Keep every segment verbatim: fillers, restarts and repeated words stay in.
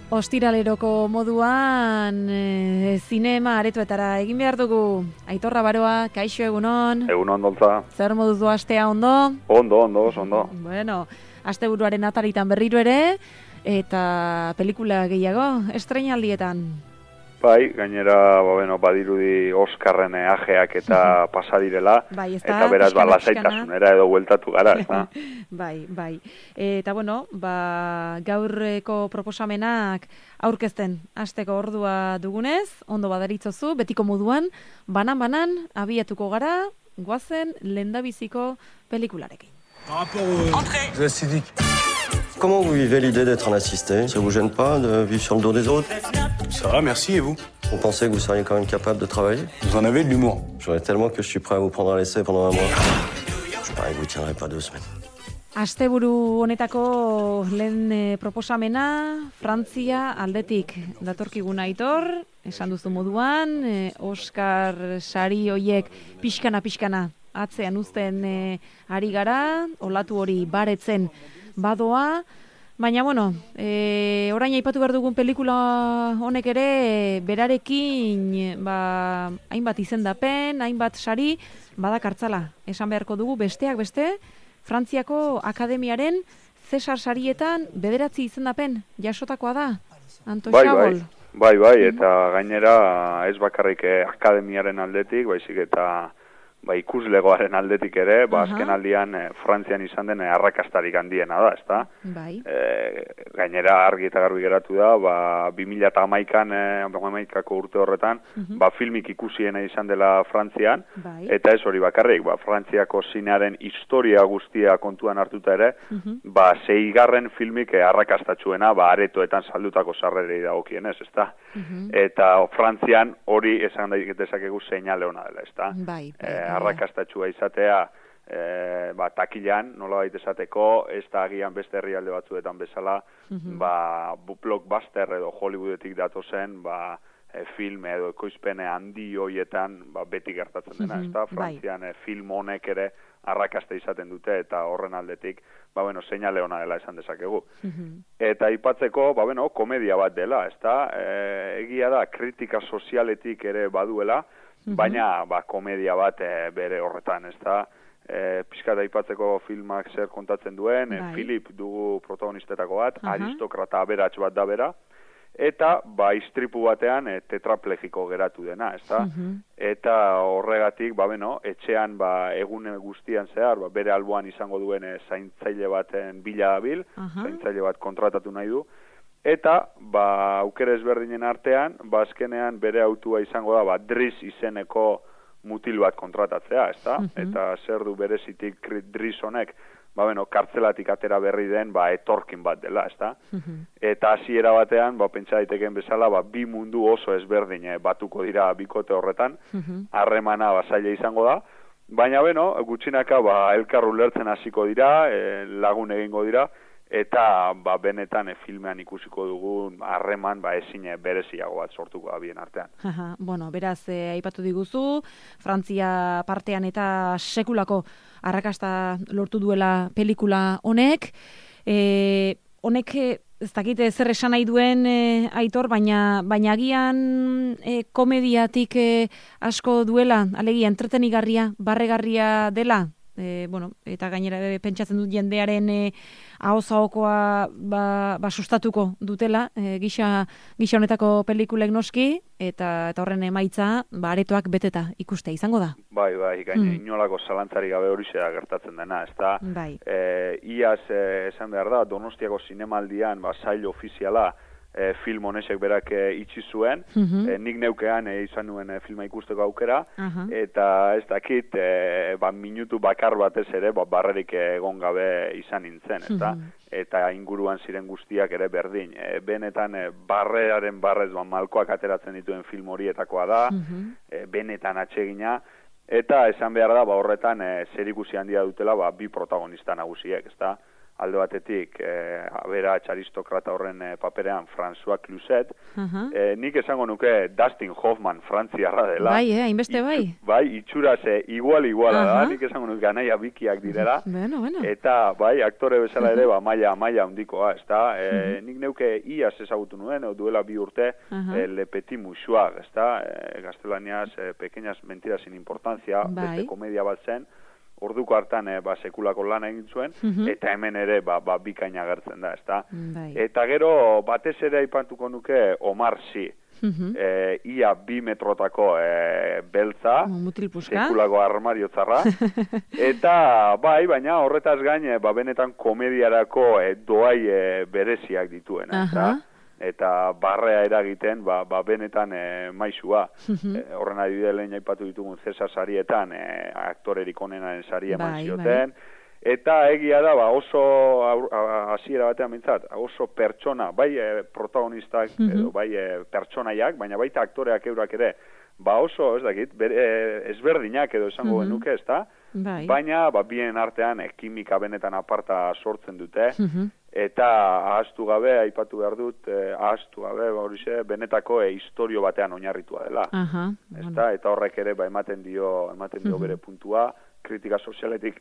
Ostiraleroko moduan e, zinema aretoetara egin behar dugu. Aitorra Baroa, kaixo egunon. Egunon doltza. Zer moduz du astea ondo? Ondo, ondo, ondo. Bueno, asteburuaren ataritan berriro ere, eta pelikula gehiago, estreinaldietan. Bai, gainera, ba, bueno, badirudi Oskarren ajeak eta pasadirela, bai, ez eta beraz, ba, lasaitasunera edo bueltatu gara, ez da? Bai, bai. Eta, bueno, ba, gaurreko proposamenak aurkezten hasteko ordua dugunez, ondo badaritzozu, betiko moduan, banan-banan, abiatuko gara, goazen lendabiziko pelikularekin. Entrez. Comment vous vivez l'idée d'être un assisté? Ça vous gêne pas de vivre sur le dos des autres? Ça va, merci, et vous? Vous pensez que vous seriez quand même capable de travailler? Vous en avez de l'humour. J'en ai tellement que je suis prêt à vous prendre à l'essai pendant un mois. Je parie que vous tiendrez pas deux semaines. Asteburu honetako lehen e, proposamena, Frantzia aldetik datorkigun Aitor, esan duzu moduan, e, Oscar sari hoiek pixkana-pixkana atzean uzten e, ari gara, olatu hori baretzen badoa, baina, bueno, e, orain aipatu behar dugun pelikula honek ere, berarekin, ba, hainbat izendapen, hainbat sari, badakartzala, esan beharko dugu, besteak beste, Frantziako Akademiaren Cesar sarietan bederatzi izendapen jasotakoa da, Anto bai, Xabol. Bai, bai, bai, eta gainera ez bakarrik Akademiaren aldetik, baizik eta ba, ikuslegoaren aldetik ere, ba, azken aldian e, Frantzian izan den arrakastarik handiena da, ezta? Bai. E, gainera argi eta garbi geratu da, ba, bi mila hamaikan, e, hamaikako urte horretan, uh-huh. ba, filmik ikusiena izan dela Frantzian, bai. Eta ez hori bakarrik, ba, Frantziako zinearen historia guztia kontuan hartuta ere, uh-huh. ba, seigarren filmik arrakastatxuena, ba, aretoetan saldutako sarrerei dagokienez, ezta? Uh-huh. Eta Frantzian hori esan dezakegu seinale ona dela, ezta? Bai, bai. E, arrakastatxua izatea e, ba, takilan, nolabait esateko, ez da agian beste herrialde batzuetan bezala, mm-hmm. ba, blockbuster edo Hollywoodetik datozen, ba, e, film edo ekoizpene handi hoietan ba, beti gertatzen dena, mm-hmm. ez da? Frantzian e, film honek ere arrakasta izaten dute, eta horren aldetik, ba, bueno, seinale ona dela esan dezakegu. Mm-hmm. Eta aipatzeko, ba, bueno, komedia bat dela, ez da? E, egia da, kritika sozialetik ere baduela, baina ba, komedia bat e, bere horretan, ez da, e, pixka da aipatzeko filmak zer kontatzen duen, e, Philip dugu protagonistetako bat, uh-huh. aristokrata aberats bat da bera, eta ba, istripu batean e, tetraplegiko geratu dena, ez da, uh-huh. eta horregatik, ba, beno, etxean ba, egun guztian zehar, ba, bere alboan izango duen e, zaintzaile baten bila dabil, uh-huh. zaintzaile bat kontratatu nahi du, eta, ba, aukera ezberdinen artean, ba, azkenean bere autua izango da, ba, Driss izeneko mutil bat kontratatzea, ez da? Uh-huh. Eta zer du berezitik Driss honek, ba, bueno, kartzelatik atera berri den, ba, etorkin bat dela, ez da? Uh-huh. Eta hasiera batean, ba, pentsa daiteken bezala, ba, bi mundu oso ezberdin eh, batuko dira bikote horretan, harremana uh-huh. ba, zaila izango da, baina, bueno, gutxinaka, ba, elkar ulertzen hasiko dira, eh, lagun egingo dira, eta ba, benetan e, filmean ikusiko dugun harreman ba, ezin bereziago bat sortuko da bien artean. Aha, bueno, beraz, e, aipatu diguzu, Frantzia partean eta sekulako arrakasta lortu duela pelikula honek. E, honek, ez dakite zer esan nahi duen e, Aitor, baina, baina agian e, komediatik e, asko duela, alegia entretenigarria, barregarria dela. E, bueno, eta gainera e, pentsatzen dut jendearen e, ahozaokoa ba, ba sustatuko dutela e, gisa, gisa honetako pelikulek noski, eta, eta horren emaitza ba, aretoak beteta ikustea izango da. Bai, bai, gaine mm. inolako zalantzari gabe hori zera gertatzen dena, ez da? Bai. E, iaz, e, esan behar da, Donostiako zinemaldian ba, sail ofiziala E, film honesek berak e, itxi zuen, uh-huh. e, nik neukean e, izan nuen e, filma ikusteko aukera, uh-huh. eta ez dakit, e, ba, minutu bakar batez ere, ba, barrerik egon gabe izan nintzen, eta, uh-huh. eta inguruan ziren guztiak ere berdin. E, benetan, e, barrearen barrez, ba, malkoak ateratzen dituen film horietakoa da, uh-huh. e, benetan atsegina, eta esan behar da, ba, horretan, e, zerikusi handia dutela, ba, bi protagonista nagusiek, ez da? alde batetik, e, aberats aristokrata horren e, paperean François Cluzet, uh-huh. e, nik esango nuke Dustin Hoffman frantziarra dela. Bai, eh, hainbeste bai. Itxu, bai, itxuraz e, igual-iguala uh-huh. da, nik esango nuke anaia bikiak direla. Bueno, bueno. Eta, bai, aktore bezala ere, ba, maila, maila handikoa, ez da? E, uh-huh. Nik neuke iaz ezagutu nuen, o duela bi urte, uh-huh. e, Le Petit Mouchoir, ez da? E, gaztelaniaz, e, pequeñas mentiras sin importancia, bai. Beste komedia bat zen, orduko hartan e, ba, sekulako lan egin zuen, uh-huh. eta hemen ere ba, ba, bikaina agertzen da, ezta? Bai. Eta gero, batez ere aipatuko nuke Omar Sy, uh-huh. e, ia bi metrotako e, beltza, sekulako armariotzarra, eta bai, baina horretaz gain, e, ba, benetan komediarako e, doai e, bereziak dituena, ezta? Uh-huh. Eta barrea eragiten, ba, ba benetan e, maizua. Uh-huh. E, horren adibide lehen aipatu ditugun Cesar sarietan, e, aktorerik onenaren sari eman bai, zioten. Bai. Eta egia da, ba, oso hasiera batean mintzat, oso pertsona, bai e, protagonistak, uh-huh. edo, bai e, pertsonaiak, baina baita aktoreak eurak ere, ba oso, ez dakit, ber, e, ezberdinak edo esango uh-huh. genuke, ez da? Bai. Baina, ba, bien artean, e, kimika benetan aparta sortzen dute, uh-huh. eta ahaztu gabe, aipatu behar dut, eh, ahaztu gabe, horixe, benetako e, historio batean oinarritua dela. Uh-huh. Ezta? Eta horrek ere ba, ematen dio, ematen dio uh-huh. bere puntua, kritika sozialetik,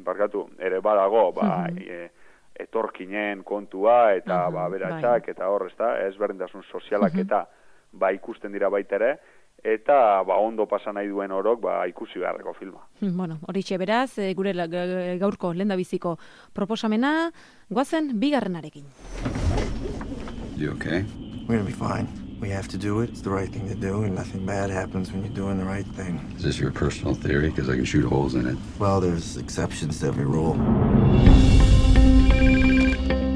barkatu, ere badago, ba, uh-huh. e, etorkinen kontua, eta uh-huh. ba, beratxak, bai. Eta hor, ezta, ezberdintasun sozialak uh-huh. eta ba, ikusten dira baita ere, eta ba, ondo pasa nahi duen orok ba, ikusi beharreko filma. Bueno, horixe beraz, gure gaurko lehendabiziko proposamena, goazen bigarrenarekin. You okay? We're gonna be fine. We have to do it. It's the right thing to do, and nothing bad happens when you're doing the right thing. Is this your personal theory? Because I can shoot holes in it. Well, there's exceptions to every rule.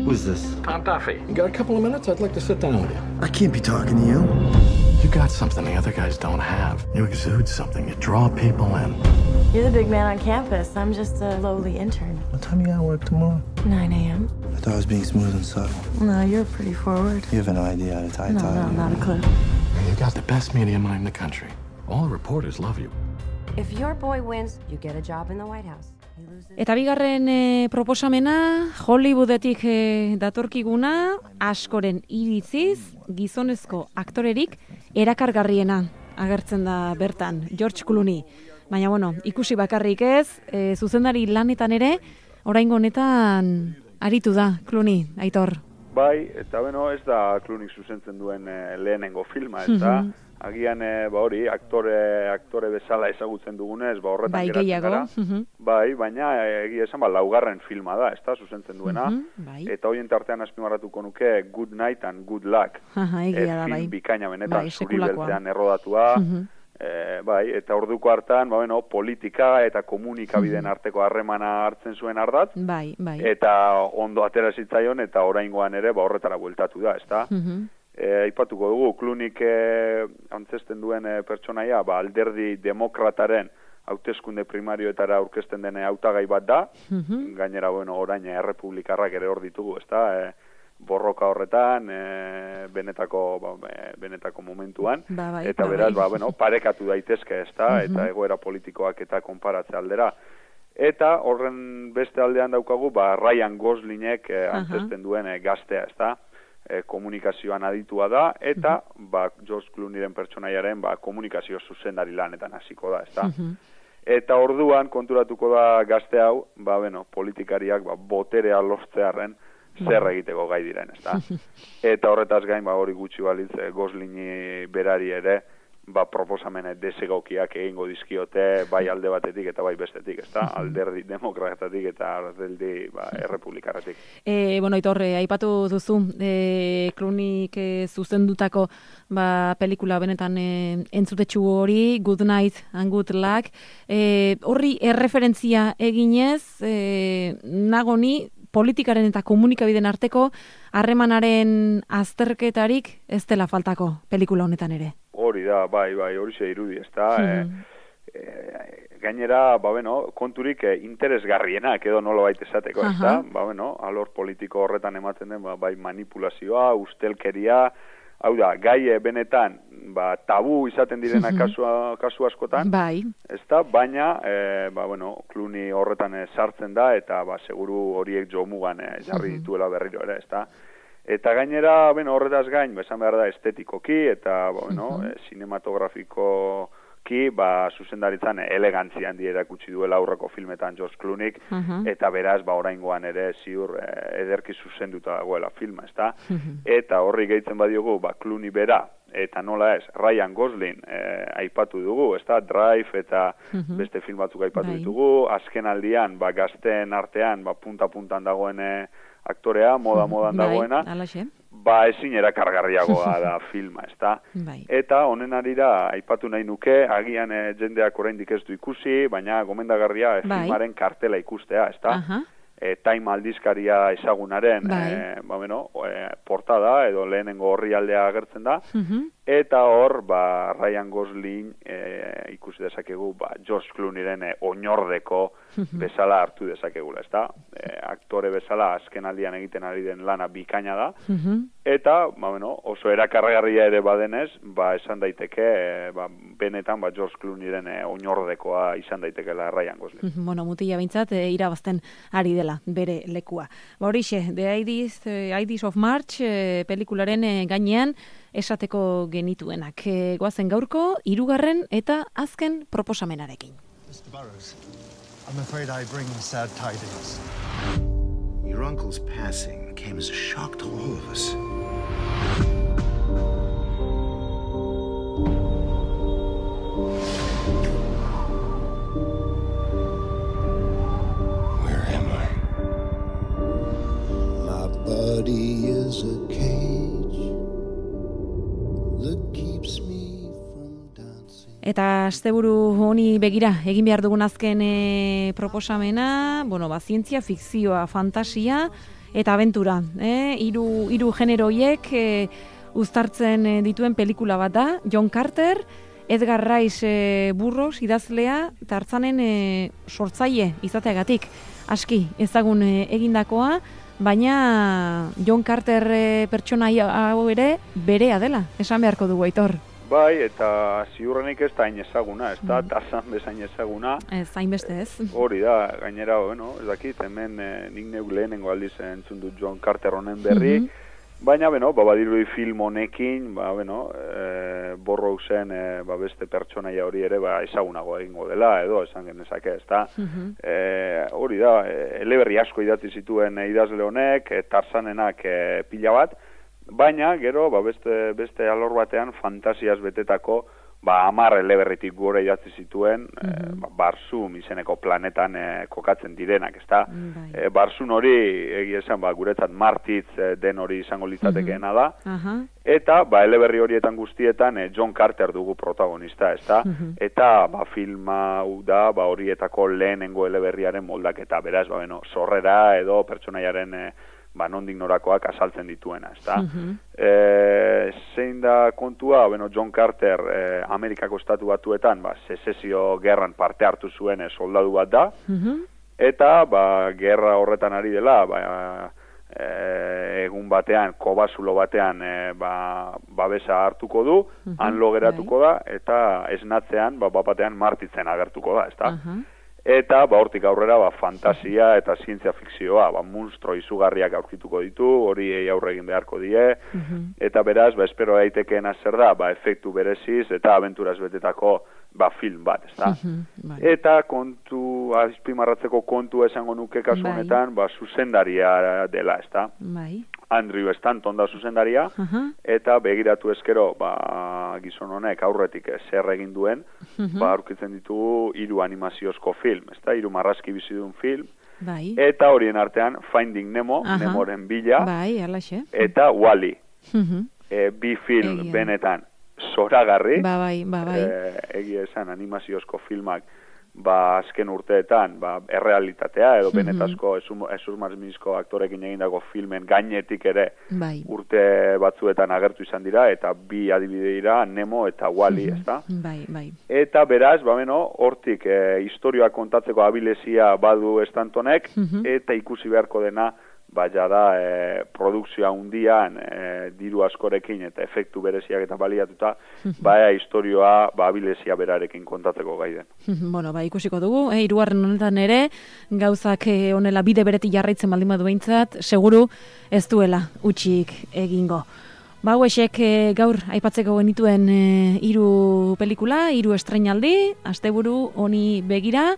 Who's this? Tom Duffy. You got a couple of minutes? I'd like to sit down with you. I can't be talking to you. You got something the other guys don't have. You exude something. You draw people in. You're the big man on campus. I'm just a lowly intern. What time you gotta work tomorrow? nine a.m. I thought I was being smooth and subtle. No, you're pretty forward. You have no idea how to tie no, tie. No, not a clue. You got the best media mind in the country. All the reporters love you. If your boy wins, you get a job in the White House. Eta bigarren e, proposamena, Hollywoodetik e, datorkiguna, askoren iritziz, gizonezko aktorerik erakargarriena agertzen da bertan, George Clooney. Baina, bueno, ikusi bakarrik ez, e, zuzendari lanetan ere, oraingo honetan aritu da, Clooney, Aitor. Bai, eta beno, ez da Clooney zuzentzen duen e, lehenengo filma, ez da? Mm-hmm. Agian, e, ba hori, aktore, aktore bezala ezagutzen dugunez, ba horretan bai, geratzen gehiago. gara. Mm-hmm. Bai, baina egia esan, ba, laugarren filma da, ez da, zuzentzen duena. Mm-hmm, bai. Eta horien tartean azpimarratuko nuke Good Night and Good Luck. Aha, egia da, film bai. bikaina benetan, bai, zuri beltzean errodatua. Mm-hmm. E, bai, eta orduko hartan, ba, bueno, politika eta komunikabideen mm-hmm. arteko harremana hartzen zuen ardatz. Bai, bai. Eta ondo atera zitzaion, eta oraingoan ere, ba, horretara bueltatu da, ez da? Mm-hmm. E, aipatuko dugu, Clooneyk e, antzesten duen e, pertsonaia, ba, alderdi demokrataren hauteskunde primarioetara aurkezten den hautagai bat da, mm-hmm. gainera, bueno, orain errepublikarrak ere hor ditugu, ez da, e, borroka horretan, e, benetako, ba, benetako momentuan, ba, bai, eta ba, beraz, bai. ba, bueno, parekatu daitezke, ez da, mm-hmm. eta egoera politikoak eta konparatze aldera. Eta horren beste aldean daukagu, ba, Ryan Goslingek e, antzesten duen e, gaztea, ez da, E, komunikazioan aditua da, eta uh-huh. ba, George Clooneyren pertsonaiaren ba, komunikazio zuzendari lanetan hasiko da, ezta? Uh-huh. Eta orduan konturatuko da gazte hau, ba, bueno, politikariak ba, boterea lortzearren zer egiteko gai diren, ezta? Eta horretaz gain, ba, hori gutxi balitz, e, Goslingi berari ere, ba, proposamene desegokiak egingo dizkiote, bai alde batetik eta bai bestetik, ezta? Alderdi demokratatik eta alderdi ba, errepublikarretik. E, bueno, Aitor, aipatu duzu, e, Clooneyk e, zuzendutako ba, pelikula benetan e, entzutetxu hori, Good Night and Good Luck, e, horri erreferentzia eginez, e, nagoni, politikaren eta komunikabideen arteko harremanaren azterketarik ez dela faltako pelikula honetan ere. Hori da, bai, bai, hori ze irudi, ez da. Mm. E, e, gainera, ba, bueno, konturik e, interesgarrienak edo nola baita esateko, ez da. Ba, bueno, alor politiko horretan ematen den, ba, bai manipulazioa, ustelkeria, hau da, gai benetan, ba, tabu izaten direna kasu, kasu askotan, bai. ezta, baina, e, ba, bueno, Clooney horretan e, sartzen da, eta, ba, seguru horiek jomugan e, jarri dituela berriro ere, ezta. Eta gainera, bueno, horretaz gain, esan behar da estetikoki, eta, bueno, uh -huh. e, sinematografikoki, ba, zuzendaritzan elegantzia handi erakutsi duela aurreko filmetan George Clooney, uh -huh. eta beraz, ba, oraingoan ere ziur e, ederki zuzenduta dagoela filma, ezta. Uh -huh. Eta horri gehitzen badiogu, ba, Clooney bera, eta nola ez, Ryan Gosling e, aipatu dugu, ezta, Drive eta uh -huh. beste film batzuk aipatu Bai. ditugu, azken aldian, ba, gazteen artean, ba, punta-puntan dagoen e, aktorea, moda-modan dagoena, bai, ba, ezin erakargarriagoa da filma, ezta? Bai. Eta honen arira, aipatu nahi nuke, agian e, jendeak oraindik ez du ikusi, baina gomendagarria e, bai. filmaren kartela ikustea, ezta? Uh-huh. E, Time aldizkaria ezagunaren bai. e, ba, bueno, e, portada edo lehenengo orrialdea agertzen da, uh-huh. eta hor, ba, Ryan Gosling e, ikusi dezakegu, ba, George Clooneyren e, oinordeko uh-huh. bezala hartu dezakegula, ezta? E, aktore bezala azken aldian egiten ari den lana bikaina da, uh-huh. eta, ba, bueno, oso erakargarria ere badenez, ba, esan daiteke, e, ba, benetan, ba, George Clooneyren e, oinordekoa izan daitekela Ryan Gosling. Uh-huh. Bueno, mutila bintzat, e, irabazten ari dela bere lekua. Ba, horixe, The Ides of March e, pelikularen e, gainean esateko genituenak. E, goazen gaurko, hirugarren eta azken proposamenarekin. mister Burroughs, I'm afraid I bring sad tidings. Your uncle's passing came as a shock to all of us. Where am I? My body is a cage that keeps me from dancing. Eta asteburu honi begira egin behar dugun azken e, proposamena, bueno, ba, zientzia fikzioa, fantasia eta abentura, eh? Hiru hiru genero hiek e, uztartzen e, dituen pelikula bat da, John Carter, Edgar Rice e, Burroughs idazlea, eta hartzanen e, sortzaile izateagatik aski ezagun e, egindakoa, baina John Carter e, pertsona hau ere berea dela, esan beharko dugu, Aitor. Bai, eta ziurrenik ez da hain ezaguna, ez da, mm. Tarzan bezain ezaguna. Ez, hain beste ez. Hori da, gainera, bueno, ez dakit, hemen e, nik neuk lehenengo aldiz entzun dut John Carter honen berri, mm-hmm. baina, bueno, ba, badirudi film honekin, ba, bueno, e, Burroughsen e, ba, beste pertsonaia hori ere, ba, ezagunago egingo dela, edo, esan genezake, ez da. Mm-hmm. E, hori da, e, eleberri asko idatzi zituen e, idazle honek, e, Tarzanenak e, pila bat, baina, gero, ba, beste, beste alor batean fantasiaz betetako, ba, hamar eleberritik gora idatzi zituen, mm-hmm. e, ba, Barzum izeneko planetan e, kokatzen direnak, ezta? Mm, e, Barzun hori, egia esan, ba, guretzat Martitz e, den hori izango litzatekeena da, mm-hmm. eta, ba, eleberri horietan guztietan e, John Carter dugu protagonista, ezta? Mm-hmm. Eta, ba, filma da, ba, horietako lehenengo eleberriaren moldaketa, beraz, ba, bueno, sorrera edo pertsonaiaren e, ba, nondik norakoak asaltzen dituena, ezta? Uh-huh. E, zein da kontua, bueno, John Carter e, Amerikako estatu batuetan, ba, sezesio gerran parte hartu zuen e, soldadu bat da, uh-huh. eta, ba, gerra horretan ari dela, ba, e, egun batean, kobazulo batean, e, ba, babesa hartuko du, uh-huh. han lo geratuko da, eta esnatzean, ba, bapatean martitzen agertuko da, ezta? Uh-huh. Eta, ba, hortik aurrera, ba, fantasia eta zientzia fikzioa, ba, monstro izugarriak aurkituko ditu, hori aurre egin beharko die, uh-huh. eta beraz, ba, espero daitekeena zer da, ba, efektu bereziz eta abenturaz betetako, ba, film bat, ezta? Uh-huh. Bai. Eta kontu, azpimarratzeko kontu esango nuke kasu honetan, ba, zuzendaria dela, ezta? Bai. Andrew Stanton da zuzendaria, uh-huh. eta begiratu ezkero, ba, gizon honek aurretik zer egin duen, uh-huh. ba, aurkitzen ditugu hiru animaziozko film, ezta, hiru marrazki bizi duen film, bai. Eta horien artean Finding Nemo, uh-huh. Nemoren bila, bai, eta Wall-E, uh-huh. e, bi film Egia. Benetan zoragarri, ba, bai, ba, bai. E, egia esan animaziozko filmak, ba, azken urteetan, ba, errealitatea, edo mm-hmm. benetazko esurmarzminizko aktorekin egindako filmen gainetik ere bai. Urte batzuetan agertu izan dira, eta bi adibide dira, Nemo eta Wall-E, mm-hmm. ezta? Bai, bai. Eta beraz, ba, beno, hortik e, historioa kontatzeko abilezia badu Stantonek, mm-hmm. eta ikusi beharko dena, baina da e, produkzioa hundian e, diru askorekin eta efektu bereziak eta baliatuta, baina historioa ba, abilezia berarekin kontatzeko gai den. Bueno, ba, ikusiko dugu, eh, hirugarren honetan ere, gauzak eh, honela bide beretik jarraitzen baldin badu behintzat, seguru ez duela utxik egingo. Ba, hauexek eh, gaur aipatzeko genituen eh, hiru pelikula, hiru estreinaldi, asteburu honi begira,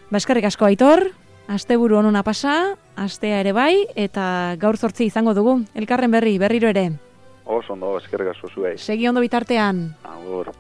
ba, eskerrik asko Aitor, asteburu onona pasa, astea ere bai, eta gaur zortzi izango dugu. Elkarren berri, berriro ere. Oso ondo, eskerrik asko zuei. Segi ondo bitartean. Agur.